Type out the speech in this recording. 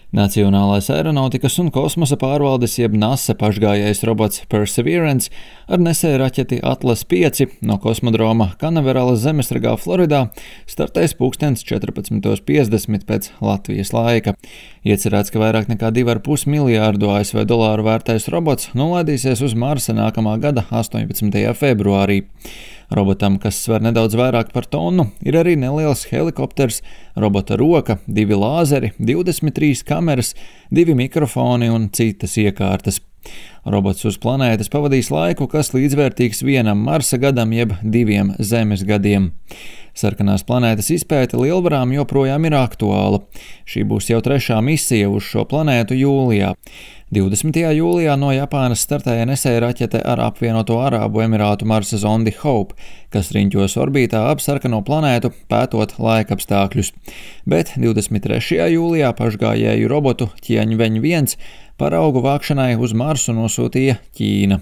Nacionālais aeronautikas un kosmosa pārvaldes jeb NASA pašgājējs robots Perseverance ar nesēju raķeti Atlas 5 no kosmodroma Kanaveralas zemesragā Floridā startēs pulkstens 14:50 pēc Latvijas laika. Iecerēts, ka vairāk nekā 2,5 miljārdu ASV dolāru vērtais robots nolaidīsies uz Marsa nākamā gada 18. februārī. Robotam, kas sver nedaudz vairāk par tonu, ir arī neliels helikopters, robota roka, 2 lāzeri, 23 kameras, 2 mikrofoni un citas iekārtas. Robots uz planētas pavadīs laiku, kas līdzvērtīgs 1 Marsa gadam jeb 2 Zemes gadiem. Sarkanās planētas izpēte lielvarām joprojām ir aktuāla. Šī būs jau 3. misija uz šo planētu jūlijā. 20. jūlijā no Japānas startēja nesēja raķete ar apvienoto Arābu Emirātu Marsa zondi Hope, kas riņķos orbītā ap sarkano planētu, pētot laikapstākļus. Bet 23. jūlijā pašgājēju robotu Tianwen 1 paraugu vākšanai uz Marsu nosūtīja Ķīna.